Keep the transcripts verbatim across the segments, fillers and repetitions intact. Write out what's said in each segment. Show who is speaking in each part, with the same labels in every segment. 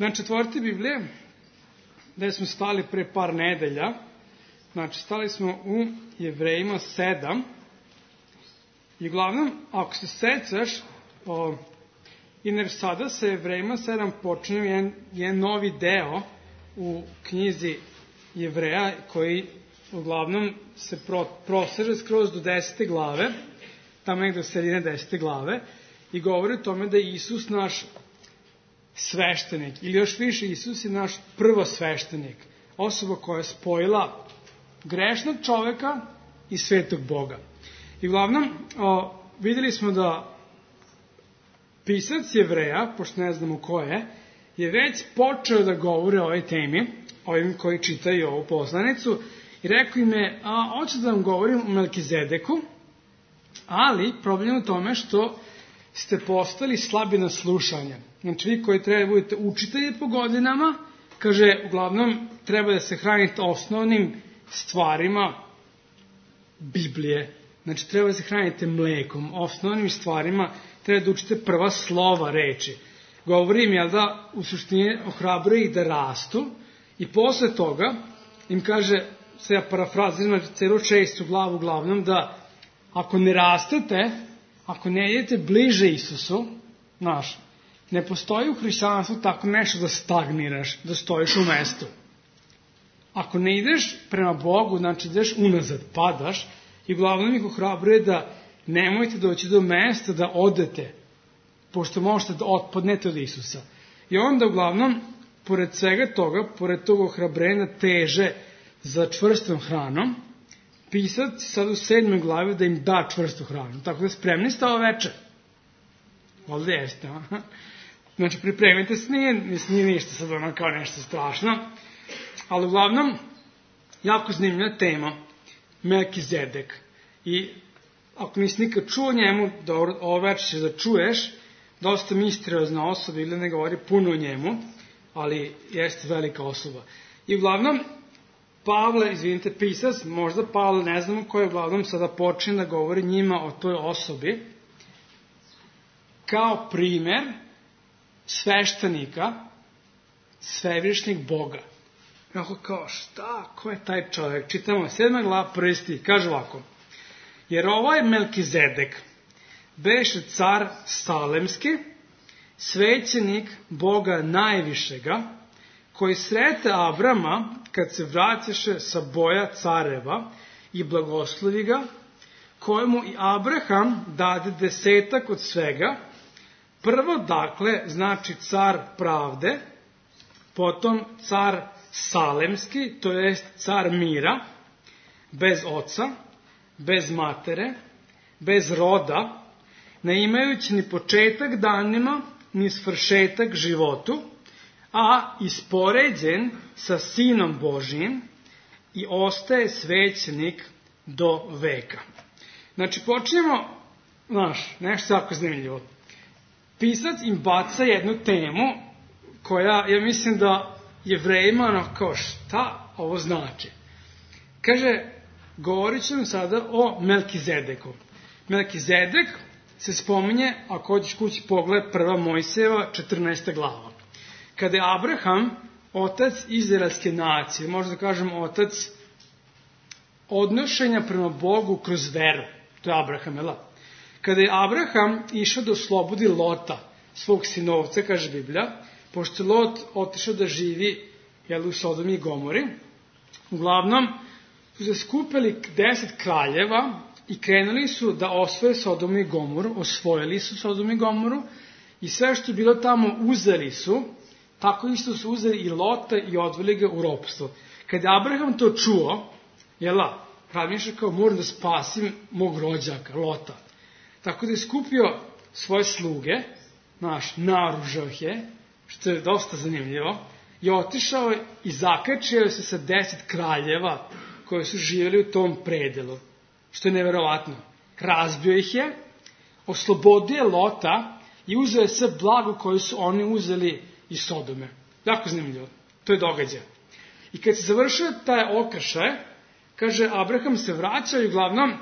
Speaker 1: Znači, otvorite Biblije, gde smo stali pre par nedelja. Znači, stali smo u Jevrejima sedam. I uglavnom, ako se sećaš, o, jer sada sa Jevrejima sedam počinje jedan, jedan novi deo u knjizi Jevreja, koji uglavnom se pro, proseže skroz do desete glave, tamo nekde do sredine desete glave, i govori o tome da je Isus naš sveštenik, ili još više, Isus je naš prvosveštenik, osoba koja je spojila grešnog čoveka i svetog Boga. I uglavnom, o, videli smo da pisac Jevreja, pošto ne znamo ko je, je već počeo da govori o ovoj temi, ovim koji čitaju ovu poslanicu, i rekao im je, a, hoću da vam govorim o Melkizedeku, ali problem je u tome što ste postali slabi na slušanje. Znači, vi koji treba da budete učitelji po godinama, kaže, uglavnom, treba da se hranite osnovnim stvarima Biblije. Znači, treba da se hranite mlekom, osnovnim stvarima, treba da učite prva slova reči. Govorim, jel da, u suštini ohrabruje ih da rastu, i posle toga im kaže, sve ja parafraziram celo šestu glavu uglavnom, da ako ne rastete, ako ne idete bliže Isusu, znaš, ne postoji u hrišćanstvu tako nešto da stagniraš, da stojiš u mestu. Ako ne ideš prema Bogu, znači ideš unazad, padaš, i uglavnom ih ohrabruje da nemojte doći do mesta da odete, pošto možete da otpadnete od Isusa. I onda uglavnom, pored svega toga, pored tog ohrabrenja teže za čvrstom hranom, pisac sad u sedmoj glavi da im da čvrstu hranu. Tako da spremni ste ovo večer. Ovdje jeste, a? Znači, pripremite se, nije, nije ništa sad ono kao nešto strašno, ali uglavnom, jako zanimljiva tema, Melkizedek. I ako nisi nikad čuo njemu, dobro, ovo večer ćeš da čuješ, dosta misteriozna osoba, ili ne govori puno o njemu, ali jeste velika osoba. I uglavnom, Pavle, izvinite, pisac, možda Pavle, ne znamo ko je, uglavnom sada počne da govori njima o toj osobi, kao primer sveštenika, svevišnjeg Boga. Kako kao, šta, ko je taj čovjek? Čitamo sedma glava, prvi stih, kaže ovako. Jer ovaj Melkizedek beše car Salemski, svećenik Boga najvišega, koji srete Abrama kad se vraćaše sa boja careva i blagoslovi ga, kojemu i Abraham dade desetak od svega, prvo dakle znači car pravde, potom car Salemski, to jest car mira, bez oca, bez matere, bez roda, ne imajući ni početak danima, ni svršetak životu, a ispoređen sa Sinom Božijim i ostaje svećenik do veka. Znači, počnemo, znaš, nešto jako zanimljivo. Pisac im baca jednu temu koja, ja mislim da Jevrejima, ono, kao šta ovo znači. Kaže, govorit ćemo sada o Melkizedeku. Melkizedek se spominje, ako hoćeš kući pogled, prva Mojsijeva, četrnaesta glava. Kada je Abraham, otac izraelske nacije, možda kažem otac odnošenja prema Bogu kroz veru, to je Abraham, jel? Kada je Abraham išao da oslobodi Lota, svog sinovca, kaže Biblija, pošto je Lot otišao da živi, jel, u Sodomi i Gomori, uglavnom su se skupili deset kraljeva i krenuli su da osvoje Sodomu i Gomoru, osvojili su Sodomu i Gomoru i sve što je bilo tamo uzeli su, tako isto su uzeli i Lota i odveli ga u ropstvo. Kada je Abraham to čuo, jela, razmišljao kao, moram da spasim mog rođaka, Lota. Tako da je skupio svoje sluge, naš, naružao ih je, što je dosta zanimljivo, i otišao i zakačio se sa deset kraljeva koji su živjeli u tom predelu, što je neverovatno. Razbio ih je, oslobodio je Lota i uzeo je sve blago koje su oni uzeli iz Sodome. Jako zanimljivo. To je događaj. I kad se završio taj okršaj, kaže, Abraham se vraća i uglavnom,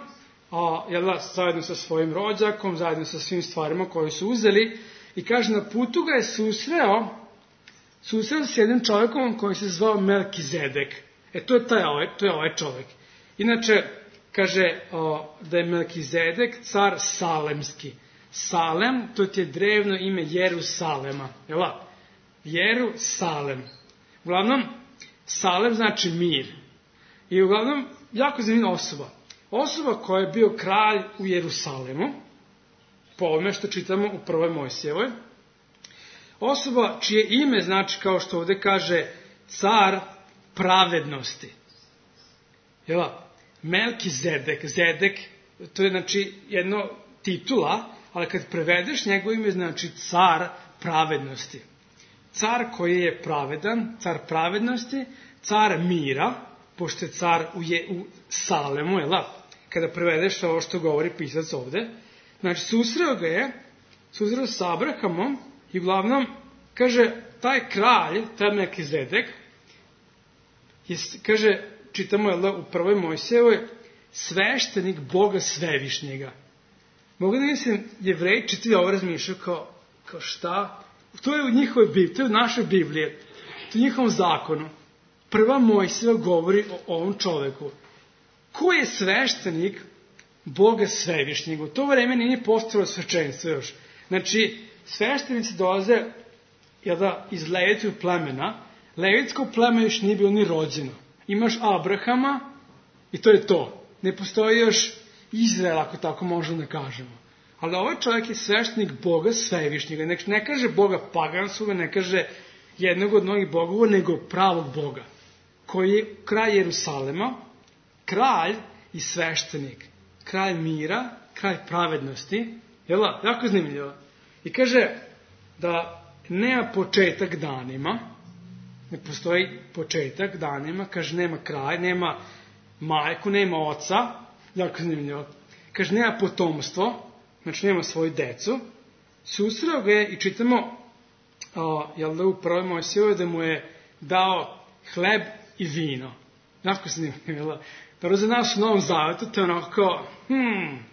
Speaker 1: a, jel da, zajedno sa svojim rođakom, zajedno sa svim stvarima koje su uzeli, i kaže, na putu ga je susreo susreo se s jednim čovjekom koji se zvao Melkizedek. E, to je, taj, to je ovaj čovjek. Inače, kaže o, da je Melkizedek car Salemski. Salem, to ti je drevno ime Jerusalema. Jel' da? Jerusalem. Uglavnom, Salem znači mir. I uglavnom, jako zanimljiva osoba. Osoba koja je bio kralj u Jerusalemu, po ovome što čitamo u prvoj Mojsijevoj. Osoba čije ime znači, kao što ovdje kaže, car pravednosti. Jel' da? Melkizedek, Zedek, to je znači jedno titula, ali kad prevedeš njegovo ime znači car pravednosti. Car koji je pravedan, car pravednosti, car mira, pošto je car u, je, u Salemu, jel' da? Kada prevedeš ovo što govori pisac ovde. Znači, susreo ga je, susreo s Abrahamom i uglavnom, kaže, taj kralj, taj Melkizedek, je, kaže, čitamo, jel' da, u prvoj Mojsijevoj, sveštenik Boga Svevišnjega. Mogu da mislim, Jevreji čitali ovo razmišljaju kao, kao šta? To je u njihovoj Bibliji, to je u našoj Bibliji, to je u njihovom zakonu. Prva Mojsijeva govori o ovom čoveku. Ko je sveštenik Boga Svevišnjeg? U to vreme nije postojalo svečenstvo još. Znači, sveštenici dolaze jel da, iz Levitskog plemena. Levitsko pleme još nije bilo ni rođeno. Imaš Abrahama i to je to. Ne postoji još Izrael, ako tako možemo da kažemo. Ali ovaj čovjek je sveštenik Boga Svevišnjega. Ne, ne kaže Boga paganskog, ne kaže jednog od mnogih bogova, nego pravog Boga, koji je kralj Jerusalema, kralj i sveštenik. Kralj mira, kralj pravednosti. Jel' da? Jako zanimljivo. I kaže da nema početak danima, ne postoji početak danima, kaže nema kraj, nema majku, nema oca, jako zanimljivo. Kaže nema potomstvo, znači nema svoju decu. Susreo ga je i čitamo, a, jel da u prvoj Mojsijevoj da mu je dao hleb i vino. Jako zanimljivo. Prvo za nas u Novom Zavetu, to je onako kao, hmm,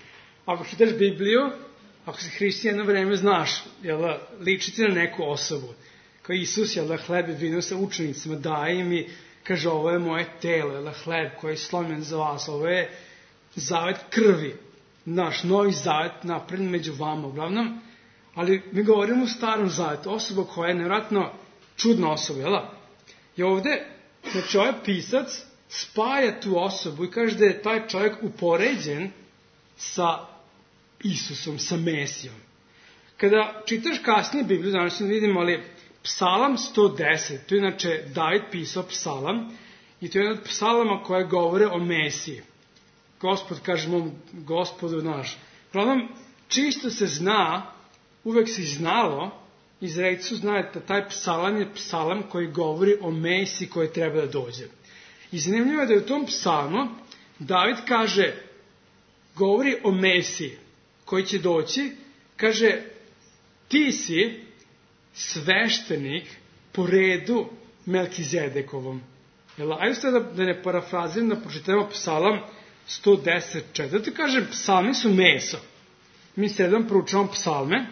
Speaker 1: ako čitaš Bibliju, ako si hrišćan jedno vreme znaš, jel da, ličiti na neku osobu. Kao Isus, jel da, hleb i vino sa učenicima daje im i kaže, ovo je moje telo, jel da, hleb koji je slomljen za vas, ovo je zavet krvi, naš novi zavet napravljen među vama, uglavnom, ali mi govorimo o starom zavetu, osoba koja je nevjerojatno čudna osoba, jel da? I ovde, znači ovaj pisac spaja tu osobu i kaže da je taj čovjek upoređen sa Isusom, sa Mesijom. Kada čitaš kasnije Bibliju, danas ne vidimo, ali Psalam sto deset, to je inače David pisao psalam i to je jedan od psalama koje govore o Mesiji. Gospod kaže mom gospodu naš. Uglavnom, čisto se zna, uvek se znalo, Izraelci su znali da taj psalam je psalam koji govori o Mesiji koji treba da dođe. I zanimljivo je da je u tom psalmu David kaže, govori o Mesiji koji će doći, kaže, ti si sveštenik po redu Melkizedekovom. Jel, ajde ste da, da ne parafraziram, da pročitamo psalam sto deset četiri. Kaže, psalmi su meso. Mi sedam proučavamo psalme.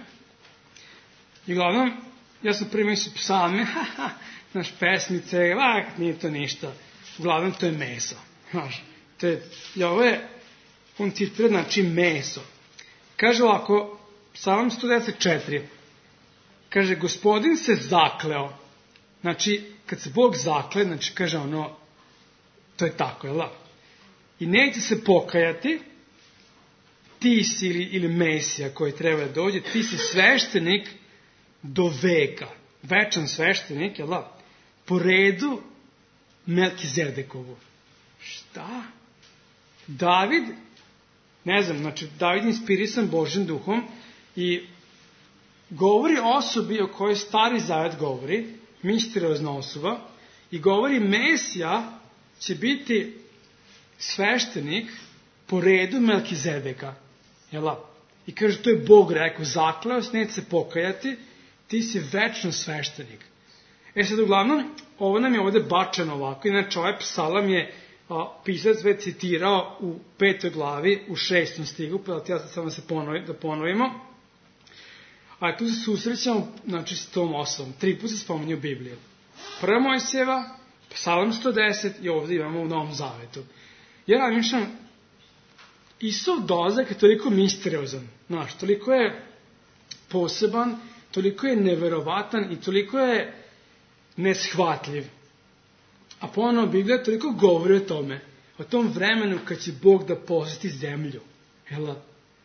Speaker 1: I uglavnom, ja sam prvi mislio psalme, haha, naš pesmice, lak, nije to ništa. Uglavnom, to je meso. Znaš, to je, i ovo je, on citira, znači meso. Kaže ovako, psalam sto deset četiri. Kaže, gospodin se zakleo. Znači, kad se Bog zakle, znači, kaže ono, to je tako, jel da? I neće se pokajati, ti si ili, ili Mesija koji treba da dođe, ti si sveštenik do veka. Večan sveštenik, jel da? Po redu Melkizedekovu. Šta? David, ne znam, znači, David je inspirisan Božjim duhom i govori o osobi o kojoj Stari Zavet govori, misteriozna osoba, i govori Mesija će biti sveštenik po redu Melkizedeka. Jela? I kaže, to je Bog rekao, zakleo se, neće se pokajati, ti si večno sveštenik. E sad, uglavnom, ovo nam je ovdje bačeno ovako, inače ovaj psalam je a, pisac već citirao u petoj glavi, u šestom stigu, pa ja sad samo se ponovi, da ponovimo. A tu se susrećamo, znači, s tom osobom. Tri put se spominje u Bibliji. Prva Mojsijeva, Psalam sto deset i ovdje imamo u Novom Zavetu. Ja razmišljam, Isov dolazak je toliko misteriozan, znaš, toliko je poseban, toliko je neverovatan i toliko je neshvatljiv. A ponovno Biblija toliko govori o tome, o tom vremenu kad će Bog da posjeti zemlju. Jel?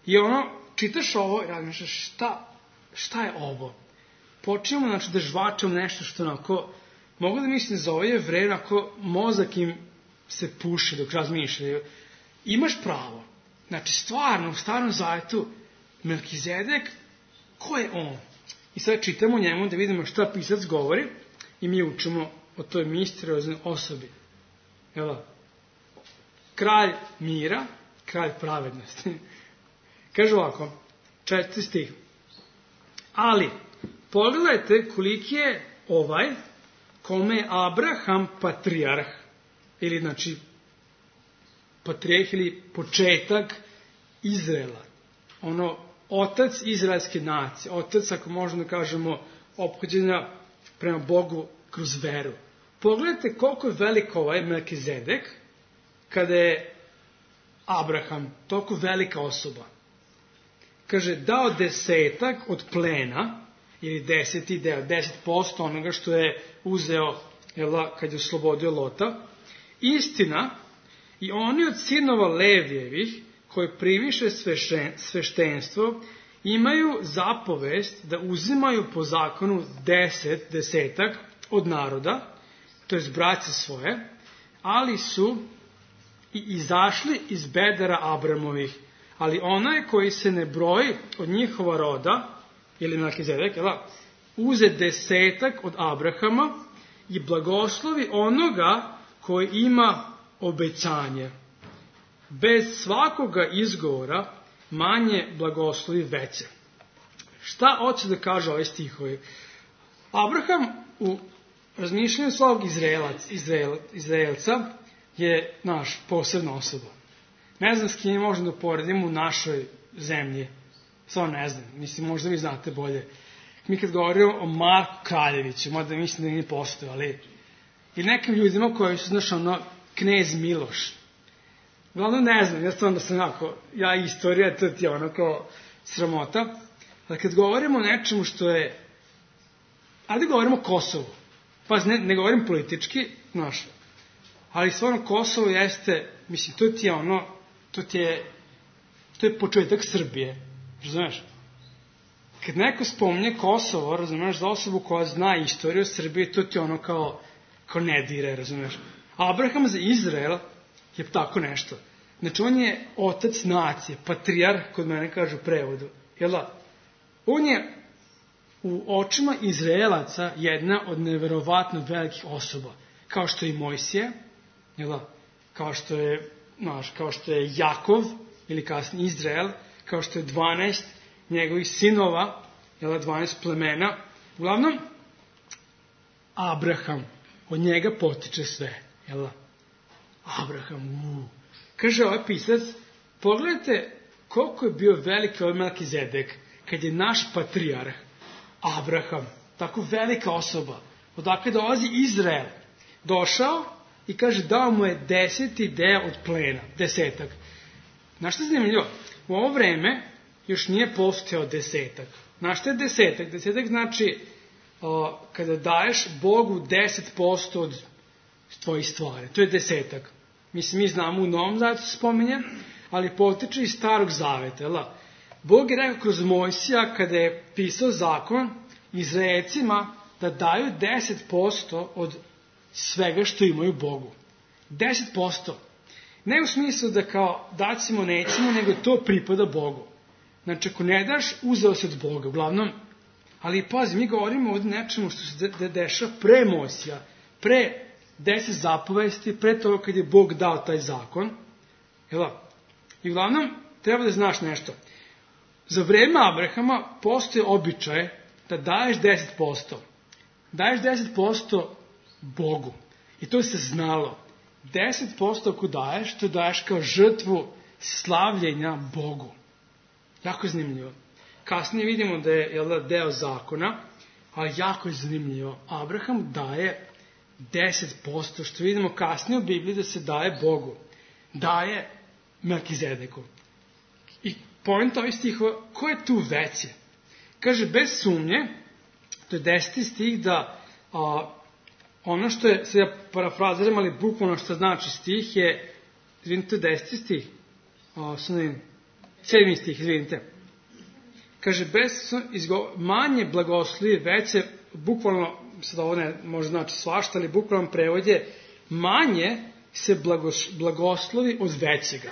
Speaker 1: I ono, čitaš ovo i razmišljaš, šta, šta je ovo? Počnemo, znači, da žvačamo nešto što onako, mogu da mislim za ovo je vreme, ako mozak im se puši dok razmišljaju. Imaš pravo. Znači, stvarno, u Starom Zavetu, Melkizedek, ko je on? I sad čitamo njemu da vidimo šta pisac govori i mi učimo o toj misterioznoj osobi. Jel? Kralj mira, kralj pravednosti. Kaže ovako, četvrti stih. Ali, pogledajte koliki je ovaj, kome je Abraham patrijarh, ili znači patrijarh ili početak Izraela. Ono, otac izraelske nacije, otac, ako možemo da kažemo, ophođenja prema Bogu kroz veru. Pogledajte koliko je velik ovaj Melkizedek, kada je Abraham, toliko velika osoba. Kaže, dao desetak od plena, ili deseti deo, deset posto onoga što je uzeo, jel, kad je oslobodio Lota. Istina, i oni od sinova Levijevih, koji primiše sveštenstvo, imaju zapovest da uzimaju po zakonu deset, desetak od naroda, to je braće svoje, ali su i izašli iz bedera Abramovih. Ali onaj koji se ne broji od njihova roda, ili Melkizedek, uze desetak od Abrahama i blagoslovi onoga koji ima obećanje. Bez svakoga izgovora manje blagoslovi veće. Šta hoće da kaže ovaj stihovi? Abraham u razmišljanju svog Izraelac, Izrael, Izraelca je naš posebna osoba. Ne znam s kim možemo da poredimo u našoj zemlji. Samo ne znam. Mislim, možda vi znate bolje. Mi kad govorimo o Marku Kraljeviću, mada mislim da nije postoje, ali i nekim ljudima koji su, znaš, ono, knez Miloš. Uglavnom ne znam, ja stvarno sam onako, ja istorija, to ti je onako sramota. Ali kad govorimo o nečemu što je, ajde govorimo o Kosovu. Pa ne, ne govorim politički, znaš, ali stvarno Kosovo jeste, mislim, to ti je ono, to ti je, to je početak Srbije, razumeš? Kad neko spominje Kosovo, razumeš, za osobu koja zna istoriju Srbije, to ti je ono kao, kao ne dire, razumeš? Abraham za Izrael je tako nešto. Znači, on je otac nacije, patrijarh, kod mene kažu u prevodu. Jel da? On je u očima Izraelaca jedna od neverovatno velikih osoba. Kao što je i Mojsije, jel da? Kao što je, znaš, kao što je Jakov, ili kasnije Izrael, kao što je dvanaest njegovih sinova, jel da, dvanaest plemena. Uglavnom, Abraham, od njega potiče sve. Jel da? Abraham, uuu. Kaže ovaj pisac, pogledajte koliko je bio veliki ovaj Melkizedek, kad je naš patrijarh, Abraham, tako velika osoba, odakle dolazi Izrael, došao i kaže, dao mu je deseti deo od plena, desetak. Znaš što je zanimljivo? U ovo vreme još nije postojao desetak. Znaš što je desetak? Desetak znači, o, kada daješ Bogu deset posto od tvojih stvari. To je desetak. Mislim, mi znamo u Novom Zavetu se spominje, ali potiče iz Starog Zaveta. Jel? Bog je rekao kroz Mojsija, kada je pisao zakon Izraelcima, da daju deset posto od svega što imaju Bogu. deset posto. Ne u smislu da kao dacimo, nećemo, nego to pripada Bogu. Znači, ako ne daš, uzeo se od Boga, uglavnom. Ali, pazi, mi govorimo ovdje nečemu što se de- dešava pre Mojsija, pre deset zapovesti, pre toga kad je Bog dao taj zakon. Jel? I uglavnom, treba da znaš nešto. Za vreme Abrahama postoje običaj da daješ deset posto. Daješ deset posto Bogu. I to se znalo. deset posto ako daješ, to daješ kao žrtvu slavljenja Bogu. Jako zanimljivo. Kasnije vidimo da je, jel da, deo zakona, ali jako je zanimljivo. Abraham daje deset posto, što vidimo kasnije u Bibliji da se daje Bogu. Daje Melkizedeku. I point ovih stihova, ko je tu veće? Kaže, bez sumnje, to je deseti stih, da a, ono što je, sad ja parafraziram, ali bukvalno što znači stih je, izvinite, deseti stih, a, sedmi stih, izvinite. Kaže, bez izgo, manje blagoslovi, veće, bukvalno, sad ovo ne može znači svašta, ali bukvalno prevod je, manje se blagos, blagoslovi od većega.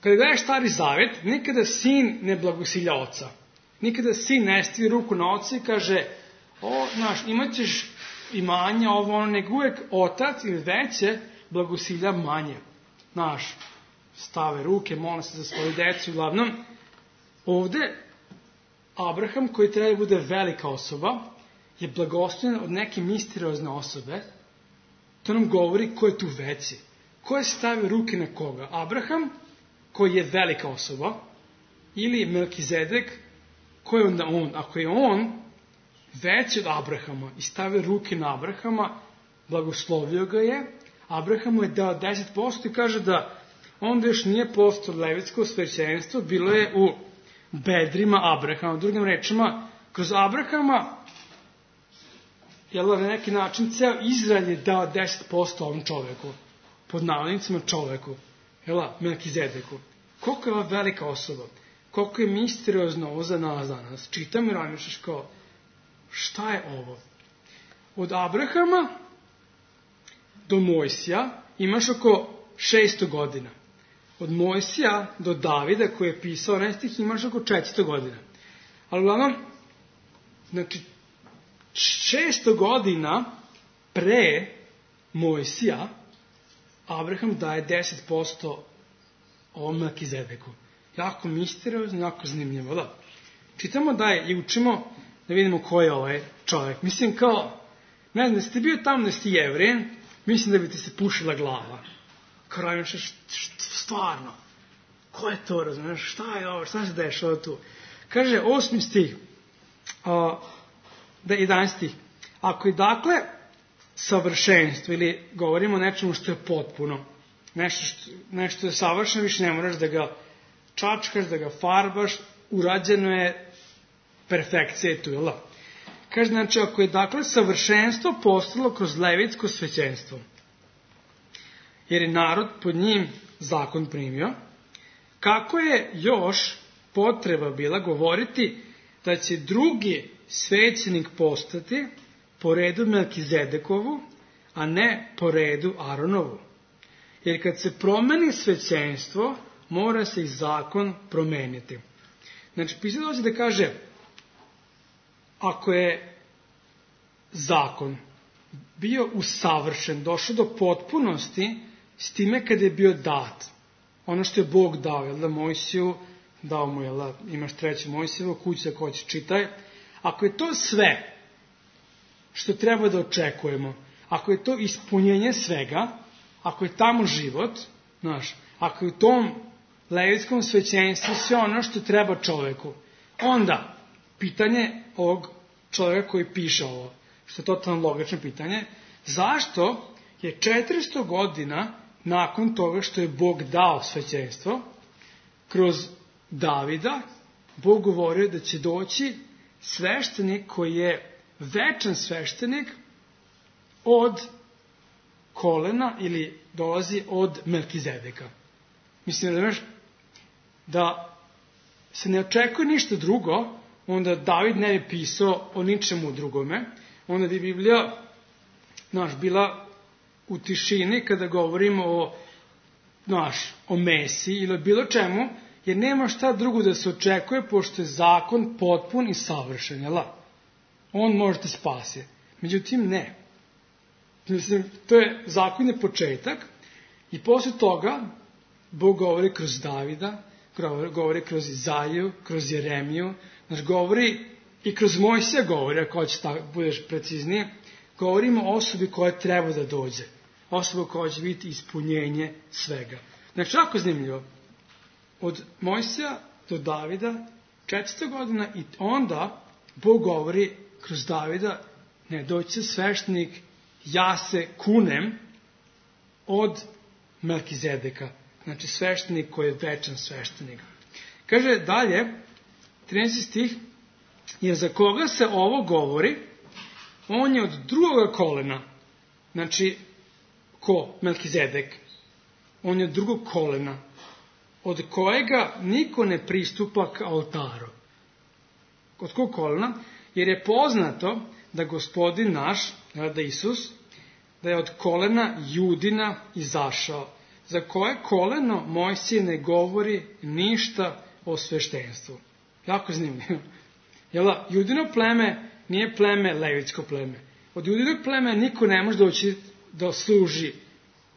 Speaker 1: Kada gledaš Stari Zavet, nikada sin ne blagosilja oca. Nikada sin ne stavi ruku na oca i kaže, o, znaš, imat ćeš imanje, ovo, ono, nego uvek otac ili veće blagosilja manje. Znaš, stave ruke, mole se za svoju decu, uglavnom. Ovde, Abraham, koji treba da bude velika osoba, je blagoslovljen od neke misteriozne osobe. To nam govori ko je tu veći. Ko je stavio ruke na koga? Abraham, koji je velika osoba, ili Melkizedek, ko je onda on? Ako je on veći od Abrahama i stavio ruke na Abrahama, blagoslovio ga je, Abrahamu je dao deset posto i kaže da onda još nije postao levitsko svećenstvo, bilo je u bedrima Abrahama. Drugim rečima, kroz Abrahama, jel, na neki način, ceo Izrael je dao deset posto ovom čoveku, pod navodnicima čoveku, jel, Melkizedeku. Koliko je ova velika osoba, koliko je misteriozno ovo za nas danas. Čitam i razmišljaš kao, šta je ovo? Od Abrahama do Mojsija imaš oko šesto godina. Od Mojsija do Davida, koji je pisao onaj stih, imaš oko četiristo godina. Ali uglavnom, znači, šesto godina pre Mojsija, Abraham daje deset posto ovom Melkizedeku. Jako misteriozno, jako zanimljivo, da. Čitamo dalje i učimo da vidimo ko je ovaj čovjek. Mislim kao, ne znam, da ste bio tamo, da ste Jevrijen, mislim da bi ti se pušila glava. Kao razmišljaš, stvarno, ko je to, razumiješ, šta je ovo, šta se dešava tu? Kaže, osmi stih, a, da jedanaesti stih. Ako je dakle savršenstvo, ili govorimo o nečemu što je potpuno, nešto što, nešto je savršeno, više ne moraš da ga čačkaš, da ga farbaš, urađeno je, perfekcija je tu, jel da? Kaže, znači, ako je dakle savršenstvo postalo kroz levitsko svećenstvo, jer je narod pod njim zakon primio, kako je još potreba bila govoriti da će drugi svećenik postati po redu Melkizedekovu, a ne po redu Aronovu. Jer kad se promeni svećenstvo, mora se i zakon promeniti. Znači, pisao dođe da kaže, ako je zakon bio usavršen, došao do potpunosti, s time kada je bio dat, ono što je Bog dao, jel da, Mojsiju, dao mu, jel da, imaš treću Mojsijevu, kuća ko će čitaj, ako je to sve što treba da očekujemo, ako je to ispunjenje svega, ako je tamo život, znaš, ako je u tom levitskom svećenstvu sve ono što treba čoveku, onda pitanje ovog čovjeka koji piše ovo, što je totalno logično pitanje, zašto je četiristo godina nakon toga što je Bog dao svećenstvo, kroz Davida, Bog govorio da će doći sveštenik koji je večan sveštenik od kolena ili dolazi od Melkizedeka. Mislim da, da se ne očekuje ništa drugo, onda David ne bi pisao o ničemu drugome, onda bi Biblija, znaš, bila u tišini kada govorimo o, znaš, o Mesiji ili o bilo čemu, jer nema šta drugo da se očekuje, pošto je zakon potpun i savršen, jel? On može te spasi. Međutim, ne. Mislim, to je, zakon je početak i posle toga Bog govori kroz Davida, govori kroz Izaju, kroz Jeremiju, znaš, govori i kroz Mojsija govori, ako hoćeš tako, budeš preciznije, govorimo o osobi koja treba da dođe. Osoba koja će biti ispunjenje svega. Znači, jako zanimljivo. Od Mojsija do Davida četiristo godina i onda Bog govori kroz Davida, ne, doći će sveštenik, ja se kunem od Melkizedeka. Znači sveštenik koji je večan sveštenik. Kaže dalje, trinaesti stih, jer za koga se ovo govori, on je od drugoga kolena. Znači, ko? Melkizedek. On je od drugog kolena, od kojega niko ne pristupa k oltaru. Od kog kolena? Jer je poznato da Gospodin naš, da Isus, da je od kolena Judina izašao, za koje koleno Mojsije ne govori ništa o sveštenstvu. Jako zanimljivo. Jel, Judino pleme nije pleme levitsko pleme. Od Judinog pleme niko ne može doći da služi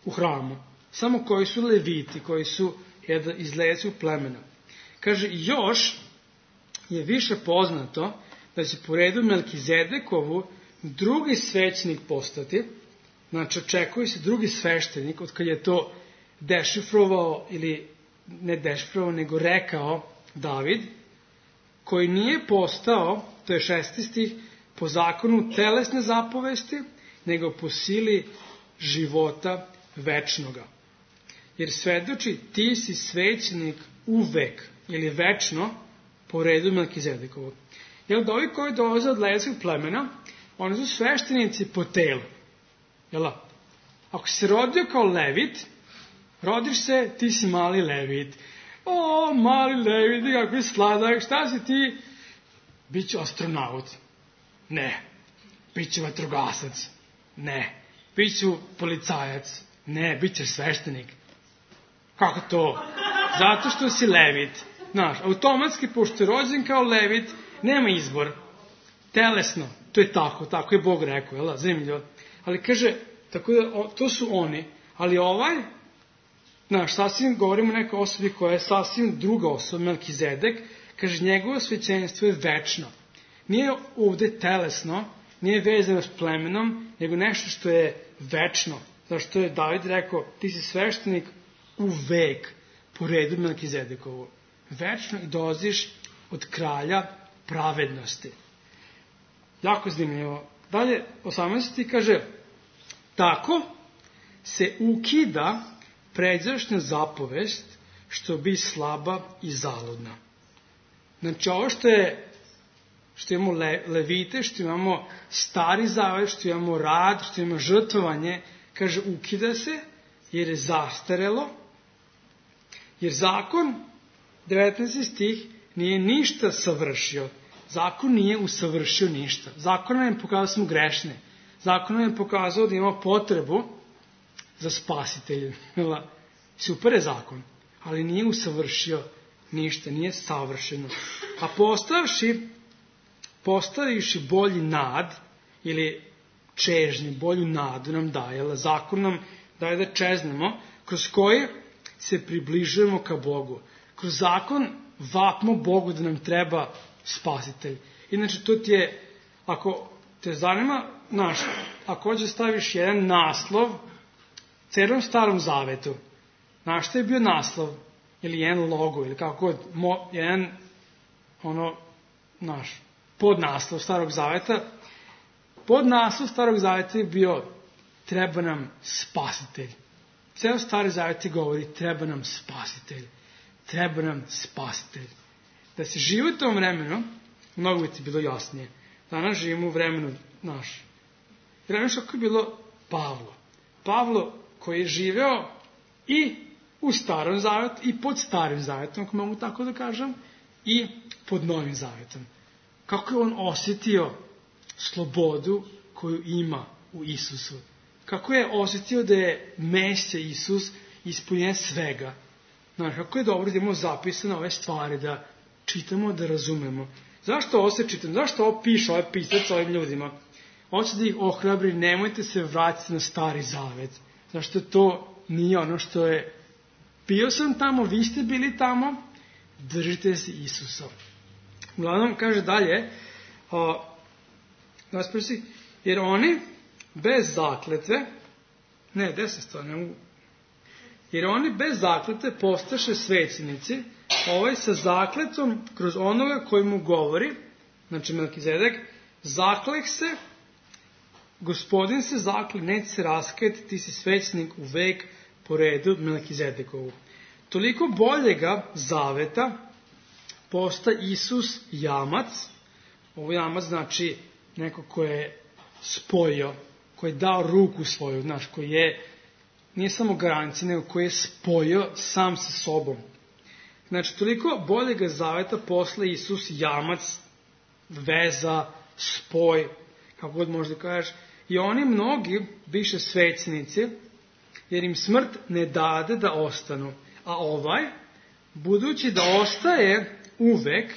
Speaker 1: u hramu. Samo koji su leviti, koji su iz levitskog plemena. Kaže, još je više poznato da će po redu Melkizedekovu drugi svećenik postati. Znači, očekuje se drugi sveštenik, od kad je to dešifrovao, ili ne dešifrovao, nego rekao David, koji nije postao, to je šesti stih, po zakonu telesne zapovesti, nego po sili života večnoga. Jer svedoči, ti si svećenik uvek, ili večno, po redu Melkizedekovog. Jer da ovi koji dolaze od levitskog plemena, oni su sveštenici po telu. Jel? Ako si se rodio kao levit, rodiš se, ti si mali levit. O, mali levit, kako je sladak, šta si ti? Biću astronaut. Ne. Biću vatrogasac. Ne. Biću policajac. Ne, bit ćeš sveštenik. Kako to? Zato što si levit. Znaš, automatski, pošto je rođen kao levit, nema izbor. Telesno, to je tako, tako je Bog rekao, jel, zanimljivo. Ali kaže, tako da, o, to su oni, ali ovaj, znaš, sasvim govorimo o nekoj osobi koja je sasvim druga osoba, Melkizedek, kaže, njegovo svećenstvo je večno. Nije ovde telesno, nije vezano s plemenom, nego nešto što je večno. Zašto je David rekao, ti si sveštenik u vek, po redu Melkizedekovu. Večno i dolaziš od kralja pravednosti. Jako zanimljivo. Dalje, osamnaesti kaže, tako se ukida pređašnja zapovest, što bi slaba i zaludna. Znači, ovo što je, što imamo le, levite, što imamo stari zavet, što imamo rad, što imamo žrtvovanje, kaže, ukida se, jer je zastarelo, jer zakon, devetnaesti stih, nije ništa savršio. Zakon nije usavršio ništa. Zakon nam je pokazao da smo grešne. Zakon nam je pokazao da imamo potrebu za spasiteljem. Super je zakon, ali nije usavršio ništa, nije savršeno. A postavši, postavivši bolji nad, ili čežnju, bolju nadu nam daje, zakon nam daje da čeznemo, kroz koji se približujemo ka Bogu. Kroz zakon vapimo Bogu da nam treba spasitelj. Inače, to ti je, ako te zanima, znaš, ako hoće staviš jedan naslov celom starom zavetu, znaš što je bio naslov? Ili jedan logo, ili kako god, mo, jedan, ono, znaš, podnaslov starog zaveta. Podnaslov starog zaveta je bio, treba nam spasitelj. Ceo stari zavet ti govori, treba nam spasitelj. Treba nam spasitelj. Da se živi u tom vremenu, mnogo bi ti bilo jasnije. Danas živimo u vremenu naš. Vremenu što je bilo Pavlo. Pavlo koji je živeo i u starom zavetu, i pod starim zavetom, ako mogu tako da kažem, i pod novim zavetom. Kako je on osjetio slobodu koju ima u Isusu. Kako je osjetio da je Mesija Isus ispunjen svega. Znaš, kako je dobro da imamo zapisane ove stvari, da čitamo, da razumemo. Zašto ovo se čitam? Zašto ovo piše, ovaj pisac ovim ljudima? Hoće da ih ohrabri, nemojte se vratiti na stari zavet. Zašto to nije ono što je. Bio sam tamo, vi ste bili tamo, držite se Isusa. Uglavnom, kaže dalje, a, naspresi, jer oni bez zakletve, ne, deset stvar, ne mogu, jer oni bez zakletve postaše svećenici, ovaj sa zakletom kroz onoga koji mu govori, znači Melkizedek, Zakleh se, Gospodin se zakle, neće se raskajati, ti si svećenik u vek po redu Melkizedekovu. Toliko boljega zaveta posta Isus jamac. Ovo jamac znači neko ko je spojio, ko je dao ruku svoju, znaš, koji je, nije samo garancija, nego koji je spojio sam sa sobom. Znači, toliko boljega zaveta posla Isus jamac, veza, spoj, kako god možda kažeš. I oni mnogi biše svećenici, jer im smrt ne dade da ostanu. A ovaj, budući da ostaje uvek,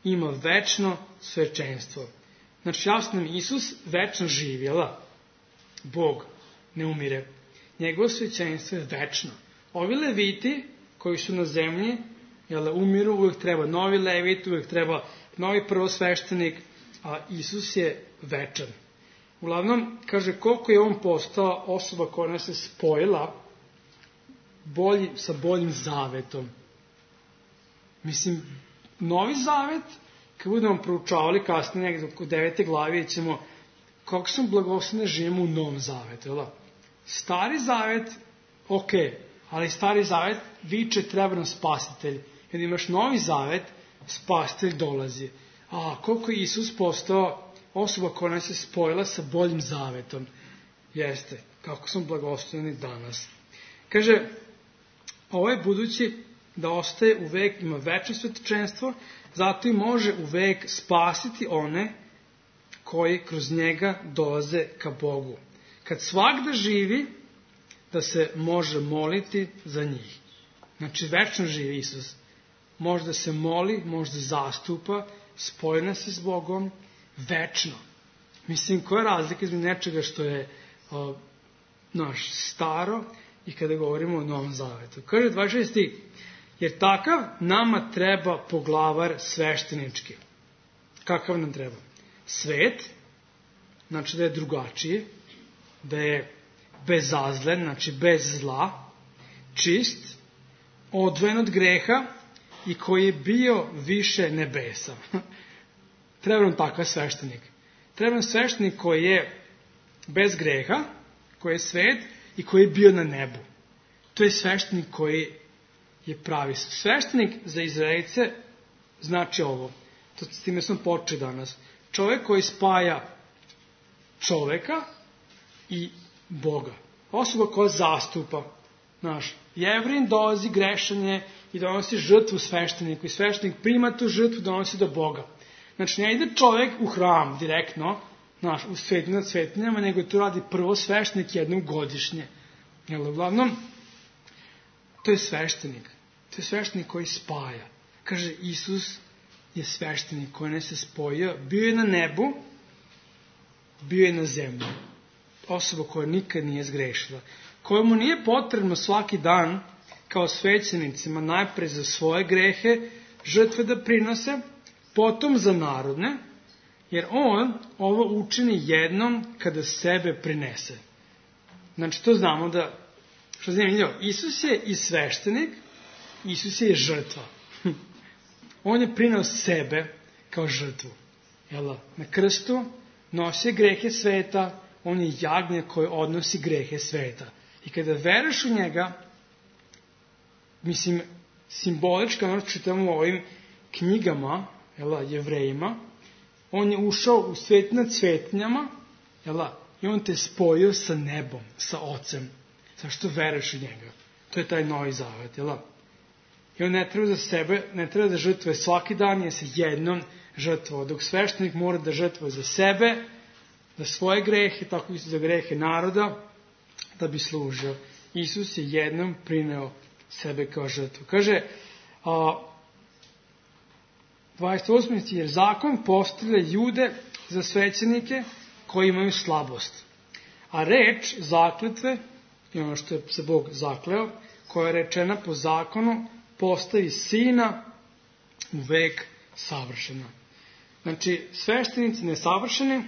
Speaker 1: ima večno svećenstvo. Znači, jasno nam, Isus večno živjela. Bog ne umire. Njegovo svećenstvo je večno. Ovi leviti koji su na zemlji, jel, umiru, uvek treba novi levit, uvek treba novi prvosveštenik, a Isus je večan. Uglavnom, kaže, koliko je on postao osoba koja nas je spojila bolji, sa boljim zavetom. Mislim, novi zavet, kad budemo proučavali kasnije negdje oko devete glavi, ćemo kako smo blagosloveni živimo u novom zavetu. Jel? Stari zavet, ok, ali stari zavet viče treba nam spasitelj. Kad imaš novi zavet, spasitelj dolazi. A koliko je Isus postao osoba koja nas je spojila sa boljim zavetom. Jeste, kako smo blagosloveni danas. Kaže, ovo je budući da ostaje u vek, ima večno svetočenstvo, zato i može u vek spasiti one koji kroz njega dolaze ka Bogu. Kad svakda živi, da se može moliti za njih. Znači, večno živi Isus. Može da se moli, može da zastupa, spojena se s Bogom, večno. Mislim, koja je razlika između nečega što je o, naš staro i kada govorimo o Novom Zavetu. Kaže dvadeset šesti stih, jer takav nama treba poglavar sveštenički. Kakav nam treba? Svet, znači da je drugačiji, da je bezazlen, znači bez zla, čist, odvojen od greha i koji je bio više nebesa. Treba nam takav sveštenik. Treba nam sveštenik koji je bez greha, koji je svet i koji je bio na nebu. To je sveštenik koji je pravi. Sveštenik za Izraelice znači ovo. To, s time smo počeli danas. Čovjek koji spaja čoveka i Boga. Osoba koja zastupa. Znaš, Jevrin dolazi grešanje i donosi žrtvu svešteniku. I sveštenik prima tu žrtvu, donosi do Boga. Znači, ne ide čovjek u hram direktno, znaš, u svetinju nad svetinjama, nego to radi prvo sveštenik jednom godišnje. Jel, uglavnom, to je sveštenik. To je sveštenik koji spaja. Kaže, Isus je sveštenik koji ne se spojio. Bio je na nebu, bio je na zemlji. Osoba koja nikad nije zgrešila. Kojemu nije potrebno svaki dan, kao svećenicima, najprej za svoje grehe, žrtve da prinose, potom za narodne, jer on ovo učini jednom kada sebe prinese. Znači, to znamo da, što zanimljivo, Isus je i sveštenik, Isus je i žrtva. On je prineo sebe kao žrtvu. Jel, na krstu nosi grehe sveta, on je jagnje koje odnosi grehe sveta. I kada veruješ u njega, mislim, simbolički, ono čitamo u ovim knjigama, jel, Jevrejima, on je ušao u svet nad svetinjama, jel, i on te spojio sa nebom, sa Ocem. Zašto veruješ u njega? To je taj novi zavet, jel? I on ne treba za sebe, ne treba da žrtvuje svaki dan, je se jednom žrtvovao. Dok sveštenik mora da žrtvuje za sebe, za svoje grehe, tako i za grehe naroda, da bi služio. Isus je jednom prineo sebe kao žrtvu. Kaže, a, dvadeset osmi stih, jer zakon postavlja ljude za svećenike koji imaju slabost. A reč zakletve, i ono što je se Bog zakleo, koja je rečena po zakonu, postavi sina u vek savršena. Znači, sveštenici nesavršeni,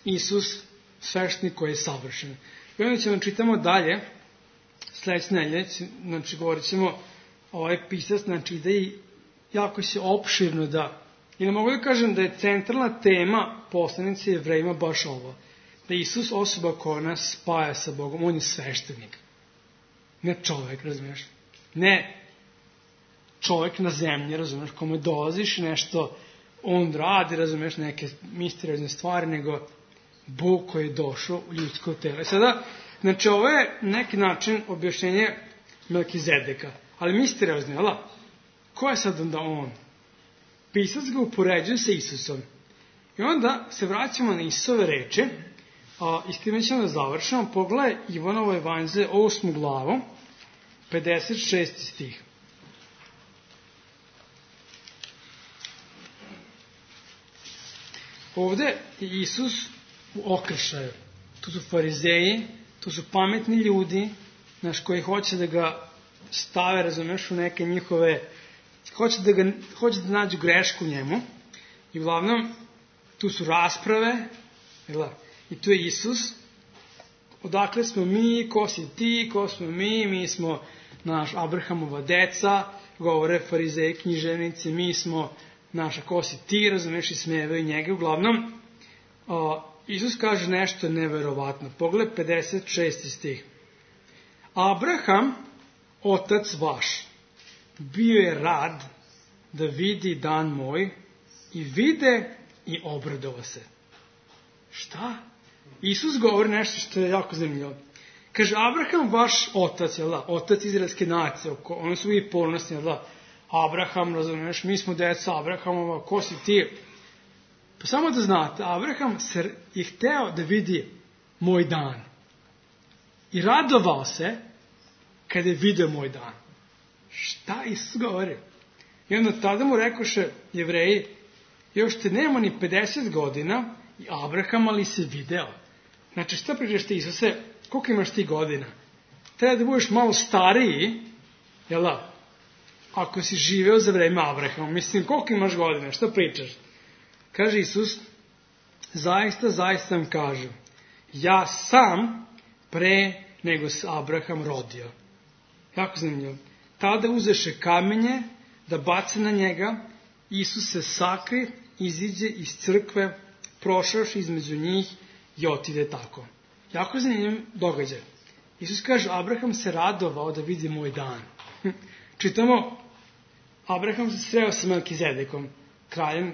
Speaker 1: Isus sveštenik koji je savršen. I onda ćemo čitamo dalje, sljedeće nedelje, znači govorit ćemo, ovaj pisac, znači ide i jako se opširno da Ili mogu da kažem da je centralna tema poslanice Jevrejima baš ovo. Da je Isus osoba koja nas spaja sa Bogom. On je sveštenik. Ne čovek, razumiješ? Ne čovek na zemlji, razumiješ, kome dolaziš i nešto on radi, razumiješ, neke misteriozne stvari, nego Bog koji je došao u ljudsko telo. I sada, znači, ovo je neki način objašnjenje Melkizedeka. Ali misteriozno, jel? Ko je sad onda on? Pisac ga upoređuje sa Isusom. I onda se vraćamo na Isusove reči, a i s time ćemo da završamo. Pogledaj Ivanovo evanđelje, osmu glavu, pedeset šesti stih. Ovde je Isus u okršaju. Tu su farizeji, tu su pametni ljudi, znaš, koji hoće da ga stave, razumeš, u neke njihove, hoće da, ga, hoće da nađu grešku njemu. I uglavnom, tu su rasprave, jel, i tu je Isus. Odakle smo mi, ko si ti, ko smo mi, mi smo naš Abrahamova deca, govore farizeji, književnici, mi smo naša, ko si ti, razumeš, i smevaju njega. Uglavnom, o, Isus kaže nešto neverovatno. Pogled pedeset šesti stih. Abraham, otac vaš, bio je rad da vidi dan moj i vide i obradova se. Šta? Isus govori nešto što je jako zanimljivo. Kaže, Abraham, vaš otac, jel da? Otac izraelske nacije, oni su i ponosni, jel da? Abraham, razumiješ, mi smo deca Abrahamova, ko si ti? Pa samo da znate, Abraham se je hteo da vidi moj dan. I radovao se kada je vidio moj dan. Šta Isus govori? I onda tada mu rekoše Jevreji, još te nema ni pedeset godina i Abraham, ali si video. Znači, šta pričaš ti, Isuse, koliko imaš ti godina? Treba da budeš malo stariji, jel da? Ako si živeo za vreme Abrahama, mislim, koliko imaš godina, šta pričaš? Kaže Isus, zaista, zaista vam kažem, ja sam pre nego se Abraham rodio. Jako zanimljivo. Tada uzeše kamenje da bace na njega, Isus se sakri, iziđe iz crkve, prošavši između njih i otide tako. Jako zanimljiv događaj. Isus kaže, Abraham se radovao da vidi moj dan. Čitamo, Abraham se sreo sa Melkizedekom, kraljem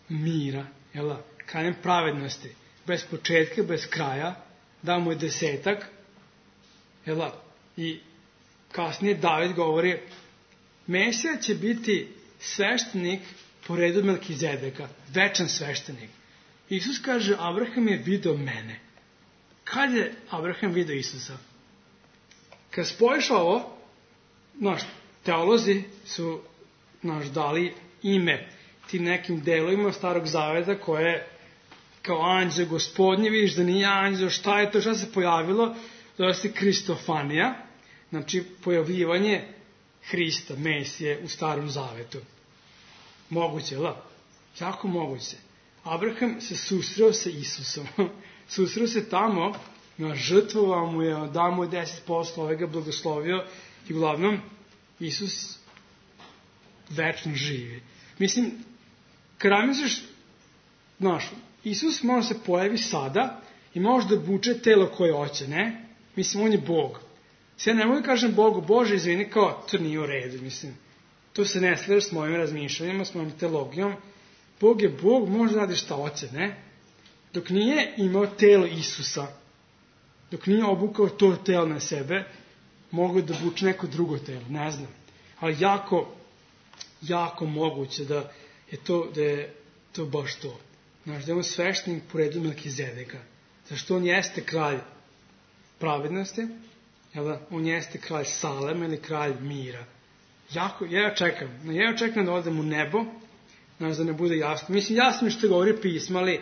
Speaker 1: mira, jel da? Kraljem pravednosti, bez početka, bez kraja, dao mu je desetak, jel da? I kasnije David govori, Mesija će biti sveštenik po redu Melkizedeka, večan sveštenik. Isus kaže, Abraham je video mene. Kad je Abraham video Isusa? Kad spojiš ovo, naš teolozi su naš dali ime tim nekim delovima Starog Zaveta koje kao anđeo gospodnje, vidiš da nije anđeo, šta je to, šta se pojavilo? Zove se Kristofanija, znači pojavljivanje Hrista, Mesije u Starom Zavetu. Moguće, da? Jako moguće. Abraham se susreo sa Isusom. Susreo se tamo, žrtvovao mu je, dao mu je deset posto, ovaj ga blagoslovio i uglavnom Isus večno živi. Mislim, kada misliš, znaš, Isus može se pojavi sada i može da buče telo koje hoće, ne? Mislim, on je Bog. Sve ne mogu da kažem Bogu, Bože, izvini, kao, to nije u redu, mislim. To se ne slaže s mojim razmišljanjima, s mojim teologijom. Bog je Bog, može da radi šta hoće, ne? Dok nije imao telo Isusa, dok nije obukao to telo na sebe, mogu da buče neko drugo telo, ne znam. Ali jako, jako moguće da je to, da je to baš to. Znaš, da je on sveštenik po redu Melkizedeka. Zašto on jeste kralj pravednosti, jel da? On jeste kralj Salema ili kralj mira. Jako, ja čekam, ja čekam da odem u nebo, znaš, da ne bude jasno. Mislim, jasno je što govori pismo, ali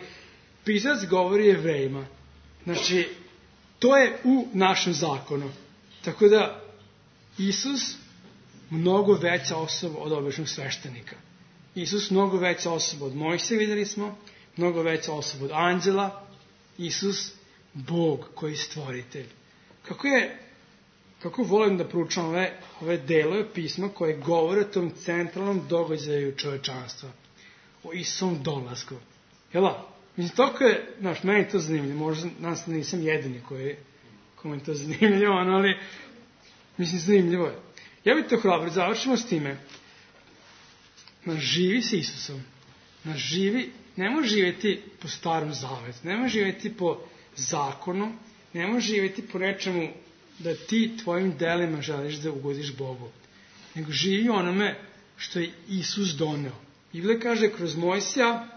Speaker 1: pisac govori Jevrejima. Znači, to je u našem zakonu. Tako da, Isus mnogo veća osoba od običnog sveštenika. Isus mnogo veća osoba od Mojsija, vidjeli smo, mnogo veća osoba od anđela. Isus, Bog koji je stvoritelj. Kako je, kako volim da proučam ove, ove delove pisma koje govore o tom centralnom događaju čovečanstva. o Isusom dolasku. Jel' mislim, toliko je, znaš, meni je to zanimljivo, možda nas nisam jedini koji, kome je to zanimljivo, ali, mislim, zanimljivo je. Ja bih to hrabro, završimo s time. Znaš, živi s Isusom. Znaš, živi, ne može živjeti po starom zavetu, ne može živjeti po zakonu, ne može živjeti po nečemu da ti tvojim delima želiš da ugodiš Bogu. Nego živi onome što je Isus doneo. Biblia kaže, kroz Mojsija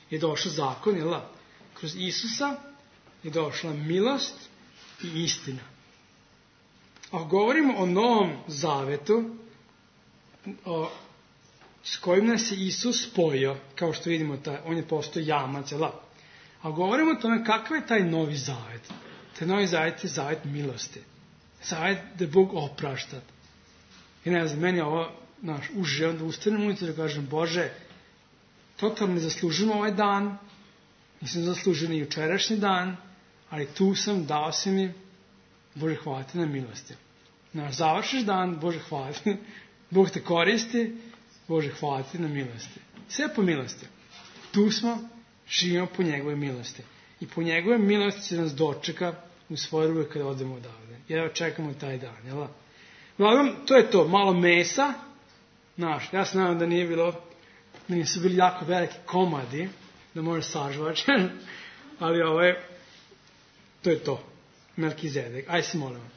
Speaker 1: je došao zakon, jel da? Kroz Isusa je došla milost i istina. Ako govorimo o Novom Zavetu, o, s kojim nas je Isus spojio, kao što vidimo, taj, on je postao jamac, jel da? A govorimo o tome kakav je taj Novi Zavet. Taj Novi Zavet je zavet milosti. Zavet da Bog oprašta. I ne znam, meni je ovo, znaš, uže, onda ustanem ujutro da kažem, Bože, totalno ne zaslužujem ovaj dan, nisam zaslužio ni jučerašnji dan, ali tu sam, dao si mi, Bože, hvala ti na milosti. Znaš, završiš dan, Bože, hvala ti, Bog te koristi, Bože, hvala ti na milosti. Sve po milosti. Tu smo, živimo po njegove milosti. I po njegove milosti se nas dočeka u svoje ruke kada odemo odavde. Jer čekamo taj dan, jel da? Uglavnom, to je to, malo mesa. Znaš, ja se nadam da nije bilo, da nisu bili jako veliki komadi, da može sažvač, ali ovo je, to je to. Melkizedek. Aj se molimo.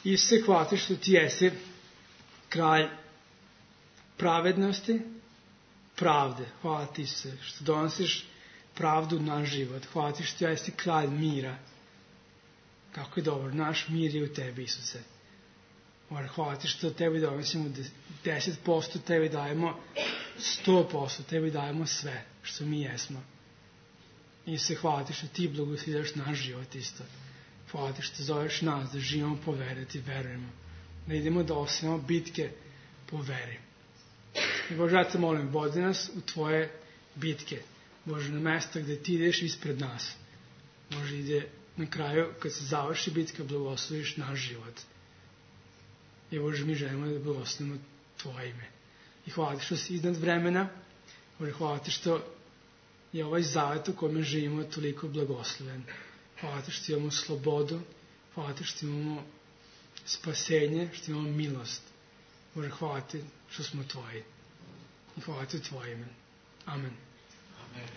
Speaker 1: Isuse, hvala ti što ti jesi kralj pravednosti, pravde. Hvala ti se što donosiš pravdu na život. Hvala ti što jesi kralj mira. Kako je dobro, naš mir je u tebi, Isuse. Hvala ti što tebi donosimo deset posto, tebi dajemo sto posto, tebi dajemo sve što mi jesmo. Isuse, hvala ti što ti blagoslivaš naš život isto. Hvala ti što zoveš nas da živimo po veri, da ti verujemo. Da idemo da osvijemo bitke po veri. I Bože, ja te molim, vodi nas u tvoje bitke. Bože, na mesta gde ti ideš ispred nas. Bože, ide na kraju, kad se završi bitka, blagosloviš naš život. I Bože, mi želimo da blagoslovimo tvoje ime. I hvala ti što si iznad vremena. Bože, hvala ti što je ovaj zavet u kojem živimo toliko blagosloven. Hvala ti što imamo slobodu. Hvala ti što imamo spasenje, što imamo milost. Bože, hvala ti što smo tvoji. I hvala ti u tvoje ime. Amen.
Speaker 2: Amen.